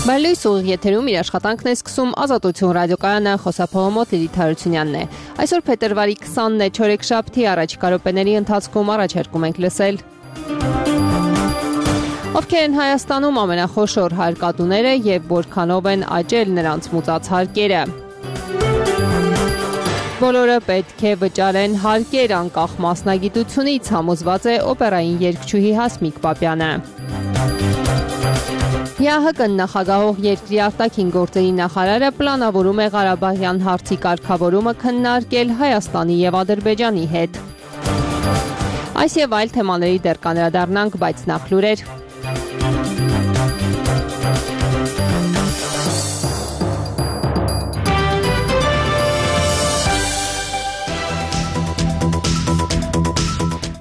Բարլույս ուղիղ եթերում իր աշխատանքն է սկսում Ազատություն ռադիոկայանը, խոսափողամոտ Լիլիթ Հարությունյանն է։ Այսօր փետրվարի 20-ն է, չորեքշաբթի, առաջիկա րոպեների ընթացքում առաջարկում ենք լսել. Ովքեր են Հայաստանում ամենախոշոր հարկատուները եւ որքանով են աճել նրանց մուծած հարկերը։ Բոլորը պետք է վճարեն հարկեր անկախ մասնագիտությունից, համոզված է օպերային երգչուհի Հասմիկ Պապյանը։ ՀՀԿ-ն նախագահող երկրի արտաքին գործերի նախարարը պլանավորում է Ղարաբաղյան հարցի կարգավորումը քննարկել Հայաստանի եւ Ադրբեջանի հետ։ Այս եւ այլ թեմաների դեռ կանդրադառնանք, բայց նախ լուրեր։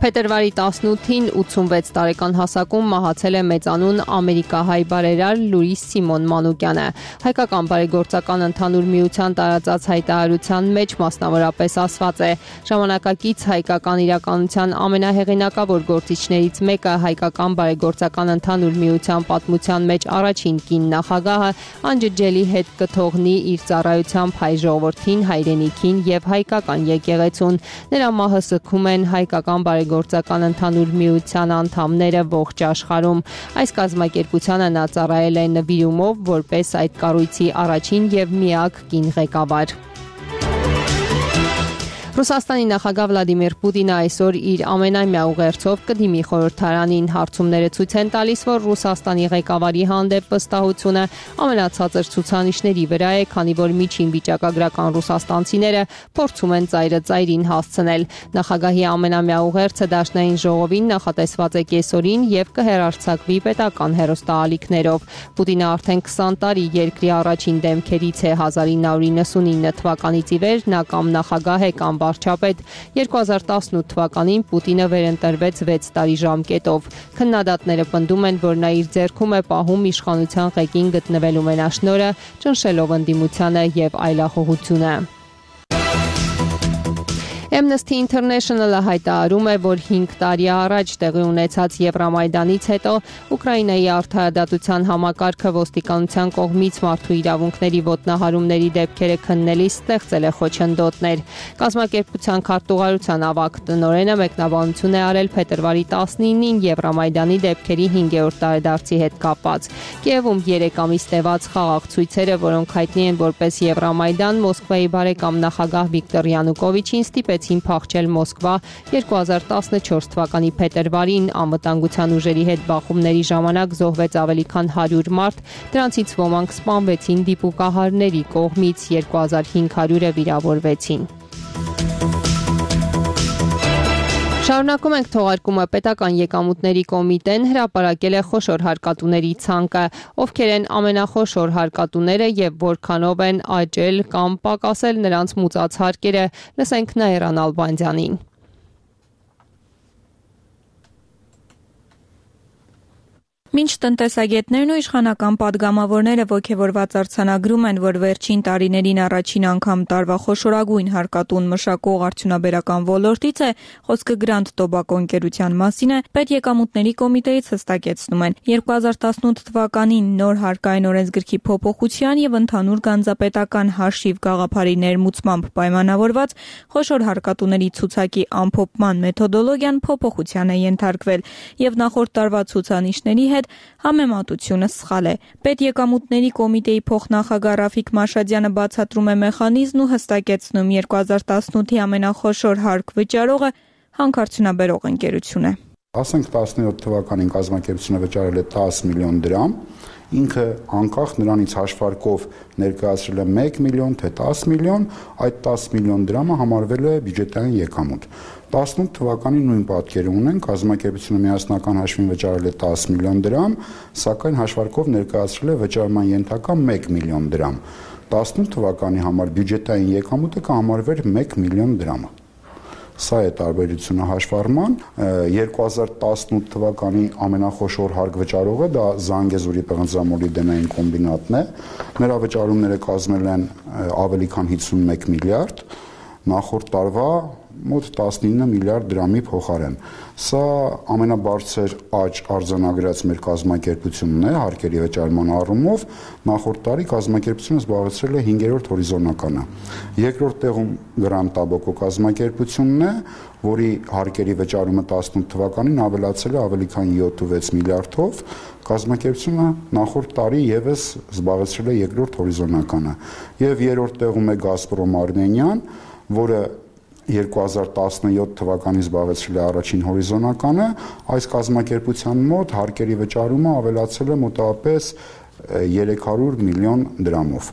Փետրվարի 18-ին 86 տարեկան հասակում մահացել է մեծանուն ամերիկահայ բարերար Լուիս Սիմոն Մանուկյանը։ Հայկական բարեգործական ընդհանուր միության տարածած հայտարարության մեջ մասնավորապես ասված է. ժամանակակից հայկական իրականության ամենահեղինակավոր գործիչներից մեկը, հայկական բարեգործական ընդհանուր միության պատմության մեջ առաջին կին նախագահը, անջջելի հետ կթողնի իր ծառայությամբ հայ ժողովրդին, հայրենիքին եւ հայկական եկեղեցուն։ Նրա մահը սգում են հայկական գործական ընդհանուր միության անդամները ողջ աշխարհում։ Այս կազմակերպությանը նա ծառայել է նվիրումով որպես այդ կառույցի առաջին եւ միակ կին ղեկավար։ Ռուսաստանի նախագահ Վլադիմիր Պուտինը այսօր իր ամենամյա ուղերձով կդիմի խորհրդարանին։ Հարցումները ցույց են տալիս, որ Ռուսաստանի ղեկավարի հանդեպ վստահությունը ամենացածր ցուցանիշների վրա է, քանի որ միջին վիճակագրական ռուսաստանցիները փորձում են ծայրը ծայրին հասցնել։ Նախագահի ամենամյա ուղերձը Դաշնային ժողովին նախատեսված է կեսօրին եւ կհեռարձակվի պետական հեռուստաալիքներով։ Պուտինը արդեն 20 տարի երկրի առաջին դեմքերից է։ 1999 թվականից ի վեր նա կամ նախագահ է կամ վարչապետ։ 2018 թվականին Պուտինը վերընտրվեց 6 տարի ժամկետով։ Քննադատները պնդում են, որ նա իր ձեռքում է պահում իշխանության ղեկին գտնվելու մենաշնորհը, ճնշելով ընդդիմությանը եւ այլախոհությունը։ Amnesty International-ը հայտարարում է, որ 5 տարի առաջ տեղի ունեցած Եվրամայդանից հետո Ուկրաինայի արդարադատության համակարգը ոստիկանության կողմից մարդու իրավունքների ոտնահարումների դեպքերը քննելիս ստեղծել է խոչընդոտներ։ Կազմակերպության քարտուղարության ավագ տնօրենը մեկնաբանություն է արել փետրվարի 19-ին Եվրամայդանի դեպքերի 5-րդ տարեդարձի հետ կապված։ Կիևում 3 ամիս տևած խաղաղ ցույցերը, որոնք հայտնի են որպես Եվրամայդան, Մոսկվայի բարեկամ նախագահ Վիկտոր Յանուկովիչին ստիպեցին փախչել Մոսկվա 2014 թվականի փետրվարին։ Անվտանգության ուժերի հետ բախումների ժամանակ զոհվեց ավելի քան 100 մարդ, դրանցից ոմանք սպանվեցին դիպուկահարների կողմից, 2500-ը վիրավորվեցին։ Շարունակում ենք թողարկումը։ Պետական եկամուտների կոմիտեն հրապարակել է խոշոր հարկատուների ցանկը, ովքեր են ամենախոշոր հարկատուները եւ որքանով են աճել կամ պակասել նրանց մուծած հարկերը։ Լսենք Նաիրա Նալբանդյանին։ Մինչ տնտեսագետներն ու իշխանական պատգամավորները ոգևորված արձանագրում են, որ վերջին տարիներին առաջին անգամ տարվա խոշորագույն հարկատուն մշակող արդյունաբերական ոլորտից է, խոսքը Grand Tobacco ընկերության մասին է, Պետեկամուտների կոմիտեից հստակեցնում են 2018 թվականին նոր հարկային օրենսգրքի փոփոխության եւ ընդհանուր գանձապետական հաշիվ գաղափարի ներմուծմամբ պայմանավորված խոշոր հարկատուների ցուցակի ամփոփման մեթոդոլոգիան փոփոխության է ենթարկվել եւ նախորդ տարվա ցուցանիշների հետ համեմատությունը սխալ է։ Պետեկամուտների կոմիտեի փոխնախագահ Ռաֆիկ Մաշադյանը բացատրում է մեխանիզմն ու հստակեցնում 2018-ի ամենախոշոր հարկ վճարողը հանքարդյունաբերող ընկերություն է։ Ասենք 17 թվականին կազմակերպությունը վճարել է 10 միլիոն դրամ, ինքը անկախ նրանից հաշվարկով ներկայացրել է 1 միլիոն թե 10 միլիոն, այդ 10 միլիոն դրամը համարվել է բյուջետային եկամուտ։ 18 թվականի նույն պատկերը ունեն, կազմակերպությունը միասնական հաշվին վճարել է 10 միլիոն դրամ, սակայն հաշվարկով ներկայացրել է վճարման ենթակա 1 միլիոն դրամ։ 18 թվականի համար բյուջետային եկամուտը կհամարվեր 1 միլիոն դրամը։ Սա է տարբերությունը հաշվառման։ 2018 թվականի ամենախոշոր հարկ վճարողը դա Զանգեզուրի պղնձամոլիբդենային կոմբինատն է։ Նրա վճարումները կազմել են ավելի քան 51 միլիարդ, նախորդ տարվա մոտ 19 միլիարդ դրամի փոխարեն։ Սա ամենաբարձր աճ արձանագրած մեր կազմակերպությունն է հարկերի վճարման առումով, նախորդ տարի կազմակերպությունը զբաղեցրել է 5-րդ հորիզոնականը։ Երկրորդ տեղում Grand Tobacco կազմակերպությունն է, որի հարկերի վճարումը 18 թվականին ավելացել է ավելի քան 7.6 միլիարդով, կազմակերպությունը նախորդ տարի եւս զբաղեցրել է երկրորդ հորիզոնականը։ Եվ երրորդ տեղում է Gazprom Armenian, որը 2017 թվականին զբաղեցրել է առաջին հորիզոնականը, այս կազմակերպության մոտ հարկերի վճարումը ավելացել է մոտավորապես 300 միլիոն դրամով։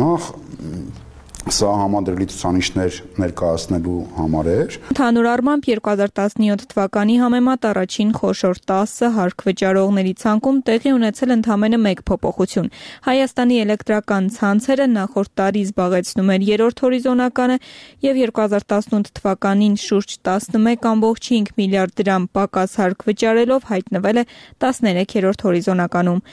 Նախ սա համադրելի ցուցանիշներ ներկայացնելու համար էր։ Ընդհանուր առմամբ 2017 թվականի համեմատ առաջին խոշոր 10 հարկ վճարողների ցանկում տեղի ունեցել ընդամենը մեկ փոփոխություն։ Հայաստանի էլեկտրական ցանցերը նախորդ տարի զբաղեցնում էր երրորդ հորիզոնականը եւ 2018 թվականին շուրջ 11.5 միլիարդ դրամ պակաս հարկ վճարելով հայտնվել է 13-րդ հորիզոնականում։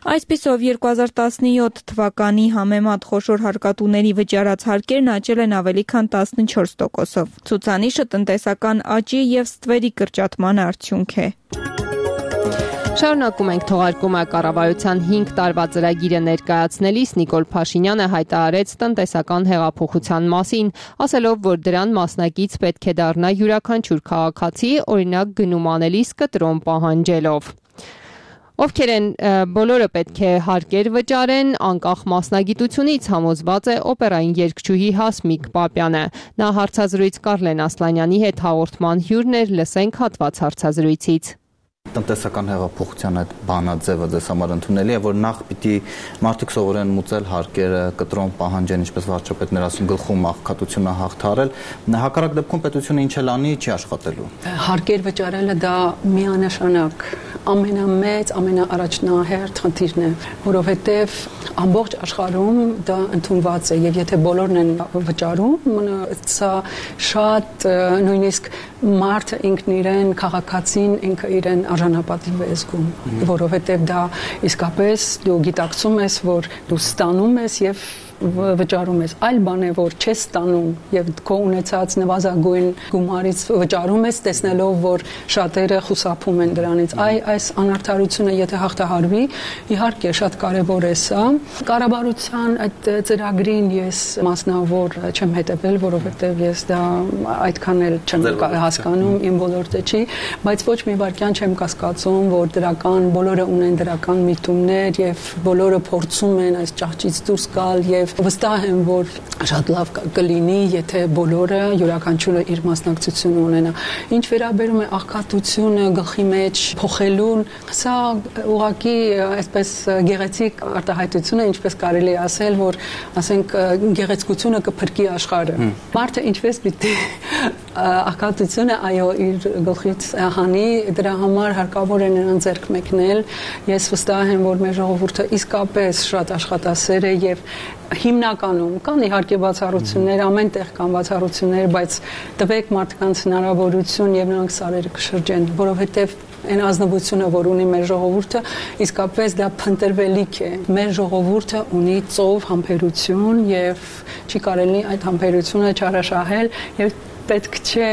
Այսպիսով 2017 թվականի համեմատ խոշոր հարկատուների վճարած հարկերն աճել են ավելի քան 14%-ով։ Ցուցանիշը տնտեսական աճի եւ ստվերի կրճատման արդյունք է։ Շարունակում ենք թողարկումը կառավարության 5 տարվա ծրագիրը ներկայացնելիս Նիկոլ Փաշինյանը հայտարարեց տնտեսական հեղափոխության մասին, ասելով, որ դրան մասնակից պետք է դառնա յուրաքանչյուր քաղաքացի, օրինակ գնում անելիս կտրոն պահանջելով։ Ովքեր են բոլորը պետք է հարկեր վճարեն, անկախ մասնագիտությունից համոզված է օպերային երգչուհի Հասմիկ Պապյանը։ Նա հարցազրույց Կարլեն Ասլանյանի հետ հաղորդման հյուրն էր, լսենք հատված հարցազրույցից։ Տնտեսական հեղափոխության այդ բանաձևը ձեզ համար ընդունելի է, որ նախ պիտի մարդիկ սովորեն մուծել հարկերը, կտրոն պահանջեն, ինչպես վարչապետն էր ասում, գլխում աղքատությունը հաղթարել, հակառակ դեպքում պետությունը ինչ էլ անի, չի աշխատելու։ Հարկեր վճարելը դա միանշանակ ամենամեծ, ամենաառաջնահերթ խնդիրն է, որովհետև ամբողջ աշխարհում դա ընդունված է, եւ եթե բոլորն են վճարում, սա շատ նույնիսկ մարդը ինքն իրեն, քաղաքացին ինքը իրեն արժանապատիվ է զգում, որովհետև դա իսկապես դու գիտակցում ես, որ դու ստանում ես եւ վճարում ես, այլ բան է, որ չես ստանում եւ քո ունեցած նվազագույն գումարից վճարում ես, տեսնելով, որ շատերը խուսափում են դրանից։ Այս անարդարությունը եթե հաղթահարվի, իհարկե շատ կարեւոր է սա։ Կառավարության այդ ծրագրին ես մասնավոր չեմ հետևել, որովհետեւ ես դա այդքան էլ չեմ հասկանում, իմ ոլորտը չի, բայց ոչ մի վարքյան չեմ կասկածում, որ դրական բոլորը ունեն դրական միտումներ եւ բոլորը փորձում են այս ճահճից դուրս գալ եւ վստահ եմ, որ շատ լավ կլինի, եթե բոլորը յուրաքանչյուրը իր մասնակցությունը ունենա։ Ինչ վերաբերում է աղքատությունը գլխի մեջ փոխելուն, սա ուղղակի այսպես գեղեցիկ արտահայտություն է, ինչպես կարելի է ասել, որ ասենք գեղեցկությունը կփրկի աշխարհը։ Մարդը ինչպես պիտի աղքատությունը այո իր գլխից հանի, դրա համար հարկավոր է նրան ձեռք մեկնել։ Ես վստահ եմ, որ մեր ժողովուրդը իսկապես շատ աշխատասեր է եւ հիմնականում կան իհարկե բացառություններ, ամեն տեղ կան բացառություններ, բայց տվեք մարդկանց հնարավորություն եւ նրանք սարերը կշրջեն, որովհետեւ այն ազնվությունը, որ ունի մեր ժողովուրդը, իսկապես դա փնտրվելիք է։ Մեր ժողովուրդը ունի ծով համբերություն եւ չի կարելի այդ համբերությունը չարաշահել եւ պետք չէ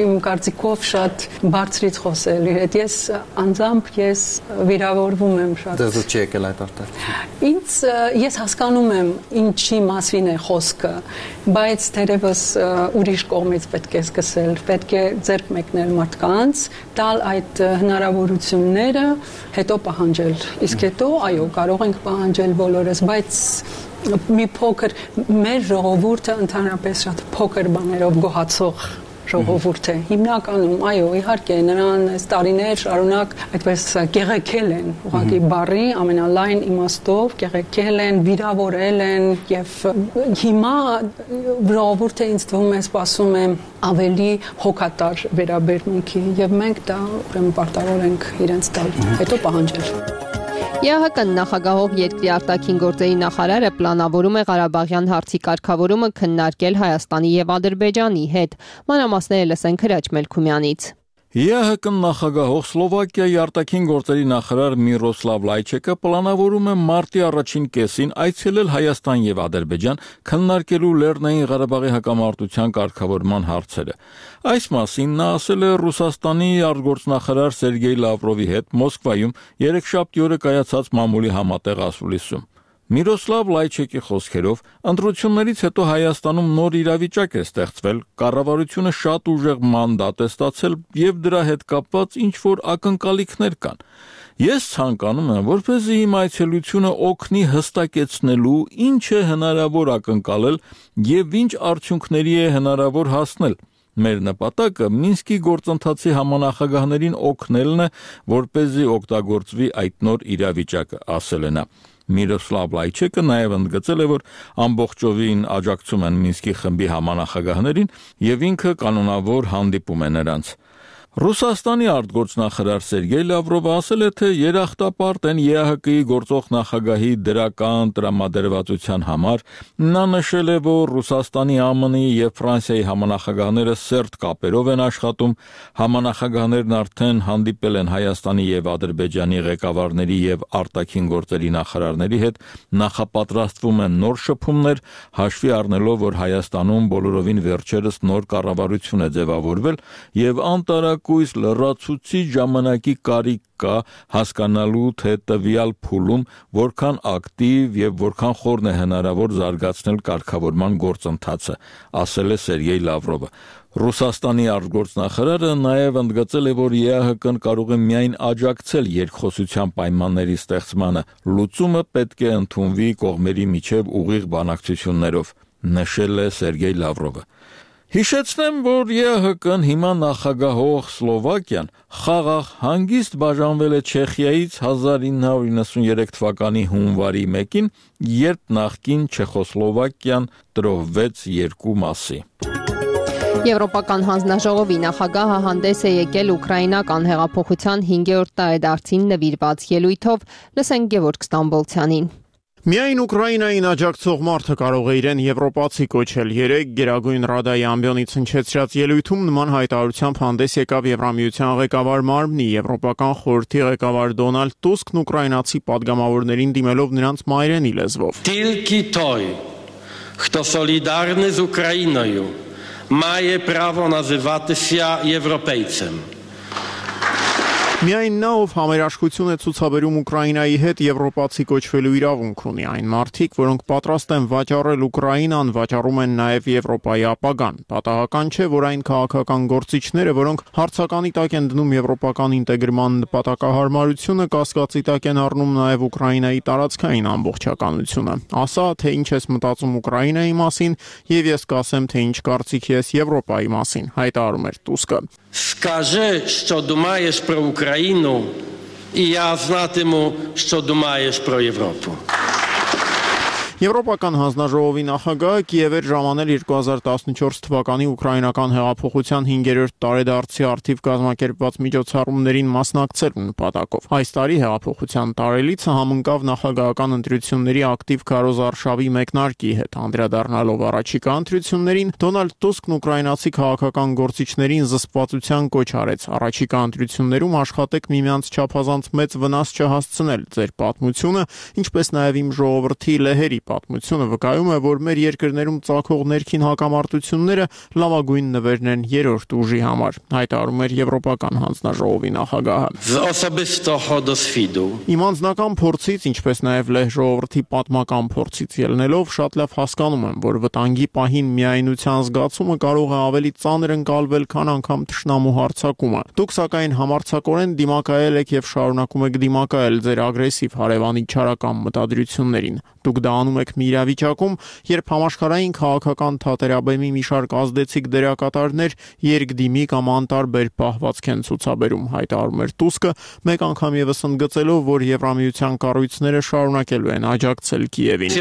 իմ կարծիքով շատ բարձրից խոսել իր հետ։ Ես անձամբ վիրավորվում եմ շատ։ Ձեզ չի եկել այդ արտահայտությունը։ Ինձ ես հասկանում եմ ինչի մասին է խոսքը, բայց թերևս ուրիշ կողմից պետք է սկսել, պետք է ձեռք մեկնել մարդկանց, տալ այդ հնարավորությունները, հետո պահանջել։ Իսկ հետո այո, կարող ենք պահանջել բոլորս, բայց մի փոքր մեր ժողովուրդը ընդհանրապես շատ փոքր բաներով գոհացող ժողովուրդ է։ Հիմնականում, այո, իհարկե, նրան այս տարիներ շարունակ այդպես կեղեքել են, ուղղակի բառի ամենալայն իմաստով կեղեքել են, վիրավորել են եւ հիմա ժողովուրդը ինձ թվում է սպասում է ավելի հոգատար վերաբերմունքի եւ մենք դա ուրեմն պարտավոր ենք իրենց տալ, հետո պահանջել։ ԵԱՀԿ նախագահող երկրի արտաքին գործերի նախարարը պլանավորում է Ղարաբաղյան հարցի կարգավորումը քննարկել Հայաստանի եւ Ադրբեջանի հետ։ Մանրամասները լսենք Հրաչ Մելքումյանից։ ԵԱՀԿ նախագահող Սլովակիայի արտաքին գործերի նախարար Միրոսլավ Լայչեկը պլանավորում է մարտի առաջին կեսին այցելել Հայաստան եւ Ադրբեջան քննարկելու Լեռնային Ղարաբաղի հակամարտության կարգավորման հարցերը։ Այս մասին նա ասել է Ռուսաստանի արտգործնախարար Սերգեյ Լավրովի հետ Մոսկվայում երեքշաբթի օրը կայացած մամուլի համատեղ ասուլիսում։ Միրոսլավ Լայչեկի խոսքերով ընտրություններից հետո Հայաստանում նոր իրավիճակ է ստեղծվել, կառավարությունը շատ ուժեղ մանդատ է ստացել եւ դրա հետ կապված ինչ-որ ակնկալիքներ կան։ Ես ցանկանում եմ, որպեսզի իմ այցելությունը օգնի հստակեցնելու ինչ է հնարավոր ակնկալել եւ ինչ արդյունքների է հնարավոր հասնել։ Մեր նպատակը Մինսկի գործընթացի համանախագահներին օգնելն է, որպեսզի օգտագործվի այդ նոր իրավիճակը, ասել է նա։ Միրոսլավ Լայչեկը նաև ընդգծել է, որ ամբողջովին աջակցում են Մինսկի խմբի համանախագահներին եւ ինքը կանոնավոր հանդիպում է նրանց։ Ռուսաստանի արտգործնախարար Սերգեյ Լավրովը ասել է, թե երախտապարտ են ԵԱՀԿ-ի գործող նախագահի դրական տրամադրվածության համար։ Նա նշել է, որ Ռուսաստանի, ԱՄՆ-ի եւ Ֆրանսիայի համանախագահները սերտ կապերով են աշխատում։ Համանախագահներն արդեն հանդիպել են Հայաստանի եւ Ադրբեջանի ղեկավարների եւ արտաքին գործերի նախարարների հետ, նախապատրաստվում են նոր շփումներ, հաշվի առնելով, որ Հայաստանում բոլորովին վերջերս նոր կառավարություն է ձևավորվել եւ անտարակույս լրացուցիչ ժամանակի կարիք կա հասկանալու, թե տվյալ փուլում որքան ակտիվ եւ որքան խորն է հնարավոր զարգացնել կարգավորման գործընթացը, ասել է Սերգեյ Լավրովը։ Ռուսաստանի արտգործնախարարը նաև ընդգծել է, որ ԵԱՀԿ-ն կարող է միայն աջակցել երկխոսության պայմանների ստեղծմանը, լուծումը պետք է ընդունվի կողմերի միջև ուղիղ բանակցություններով, նշել է Սերգեյ Լավրովը։ Հիշեցնեմ, որ ԵԱՀԿ-ն հիմա նախագահող Սլովակիան խաղաղ հանգիստ բաժանվել է Չեխիայից 1993 թվականի հունվարի 1-ին, երբ նախկին Չեխոսլովակիան տրոհվեց երկու մասի։ Եվրոպական հանձնաժողովի նախագահը հանդես է եկել ուկրաինական հեղափոխության 5-րդ տարեդարձին նվիրված ելույթով, լսենք Գևորգ Ստամբոլցյանին։ Միայն Ուկրաինային աջակցող մարդը կարող է իրեն եվրոպացի կոչել։ Երեկ Գերագույն Ռադայի ամբիոնից հնչեցրած ելույթում նման հայտարարությամբ հանդես եկավ Եվրամիության ղեկավար մարմնի Եվրոպական խորհրդի ղեկավար Դոնալդ Տուսկն ուկրաինացի падգամավորներին դիմելով նրանց մայրենի լեզվով։ Тільки той, хто солідарний з Україною, має право називатися європейцем. Միայն նա, ով համերաշխություն է ցուցաբերում Ուկրաինայի հետ, եվրոպացի կոչվելու իրավունք ունի։ Այն մարդիկ, որոնք պատրաստ են վաճառել Ուկրաինան, վաճառում են նաև Եվրոպայի ապագան։ Պատահական չէ, որ այն քաղաքական գործիչները, որոնք հարցականի տակ են դնում եվրոպական ինտեգրման նպատակահարմարությունը, կասկածի տակ են առնում նաև Ուկրաինայի տարածքային ամբողջականությունը։ Ասա, թե ինչ ես мտածում Ուկրաինայի մասին, եւ ես կասեմ, թե ինչ կարծիք ես Եվրոպայի մասին, հայտարարում էր Տուսկը։ Скажи, що думаєш про Україну, і я знатиму, що думаєш про Європу. Եվրոպական հանձնաժողովի նախագահը Կիև էր ժամանել 2014 թվականի ուկրաինական հեղափոխության 5-րդ տարեդարձի արդիվ կազմակերպված միջոցառումներին մասնակցելու նպատակով։ Այս տարի հեղափոխության տարելիցը համընկավ նախագահական ընտրությունների ակտիվ քարոզարշավի մեկնարկի հետ։ Անդրադառնալով առաջիկա ընտրություններին, Դոնալդ Տուսկն ուկրաինացի քաղաքական գործիչներին զսպվածության կոչ արեց։ Առաջիկա ընտրություններում աշխատեք միմյանց չափազանց մեծ վնաս չհասցնել ձեր պատմությունը, ինչպես նաև իմ ժողովրդի լեհերի պատմությունը վկայում է, որ մեր երկրներում ծագող ներքին հակամարտությունները լավագույն նվերն են երրորդ ուժի համար, հայտարարում էր Եվրոպական հանձնաժողովի նախագահը։ Իմ անձնական փորձից, ինչպես նաև լեհ ժողովրդի պատմական փորձից ելնելով, շատ լավ հասկանում եմ, որ վտանգի պահին միայնության զգացումը կարող է ավելի ծանր ընկալվել, քան անգամ թշնամու հարձակումը։ Դուք սակայն համարձակորեն դիմակայել եք եւ շարունակում եք դիմակայել ձեր ագրեսիվ հարևանի չարական մտադրություններին։ Դուք դա անում եք մի իրավիճակում, երբ համաշխարհային քաղաքական թատերաբեմի մի շարք ազդեցիկ դերակատարներ երկդիմի կամ անտարբեր պահվածք են ցուցաբերում, հայտարարում էր Տուսկը, մեկ անգամ եւս ընդգծելով, որ Եվրամիության կառույցները շարունակելու են աջակցել Կիևին։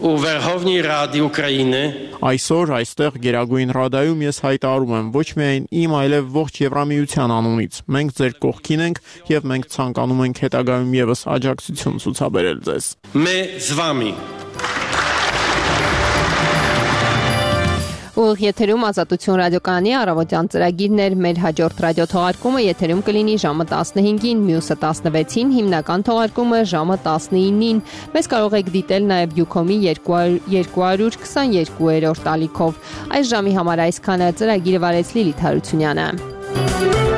У Верховній Раді України Այսօր այստեղ Գերագույն Ռադայում ես հայտարարում եմ ոչ միայն իմ, այլև ողջ Եվրամիության անունից։ Մենք ձեր կողքին ենք եւ մենք ցանկանում ենք հետագայում եւս աջակցություն ցուցաբերել ձեզ։ Ми з вами. Ուղիղ եթերում Ազատություն ռադիոկայանի առավոտյան ծրագիրն էր, մեր հաջորդ ռադիոթողարկումը եթերում կլինի ժամը 15-ին, մյուսը 16-ին, հիմնական թողարկումը ժամը 19-ին։ Մեզ կարող եք դիտել նաև Ucom-ի 222-րդ ալիքով։ Այս ժամի համար այսքանը, ծրագիրը վարեց Լիլիթ Հարությունյանը։